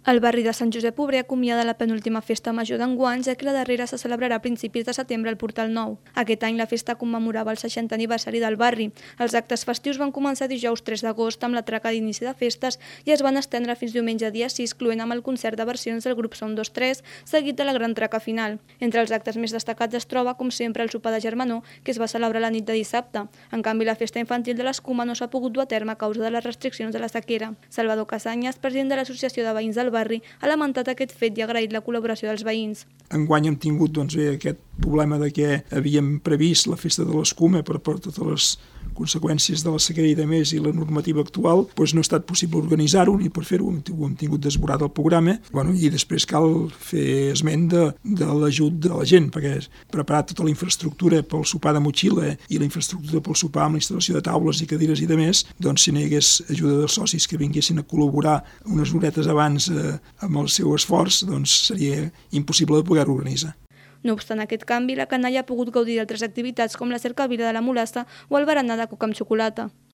El barri de Sant Josep Obrer acomiada la penúltima festa major d'enguany, ja que la darrera se celebrarà a principis de setembre al Portal Nou. Aquest any la festa commemorava el 60è aniversari del barri. Els actes festius van començar dijous 3 d'agost amb la traca d'inici de festes i es van estendre fins diumenge dia 6, cloent amb el concert de versions del grup Som 2-3, seguit de la gran traca final. Entre els actes més destacats es troba, com sempre, el sopar de germanor, que es va celebrar la nit de dissabte. En canvi, la festa infantil de l'Escuma no s'ha pogut dur a terme a causa de les restriccions de la sequera. Salvador Casanyes, president de l'Associació de Veïns del barri, ha lamentat aquest fet i ha agraït la col·laboració dels veïns. Enguany hem tingut aquest problema de que havíem previst la festa de l'Escuma per totes les conseqüències de la sequera i de més i la normativa actual, no ha estat possible organitzar-ho ni per fer-ho, ho hem tingut desborat el programa, i després cal fer esment de l'ajut de la gent, perquè preparar tota la infraestructura pel sopar de motxilla i la infraestructura pel sopar amb la instal·lació de taules i cadires i de més, si no hi hagués ajuda dels socis que vinguessin a col·laborar unes horetes abans amb el seu esforç, seria impossible de poder organitzar. No obstant aquest canvi, la canalla ha pogut gaudir d'altres activitats com la cercavila de la Mulassa o el berenar de coca amb xocolata.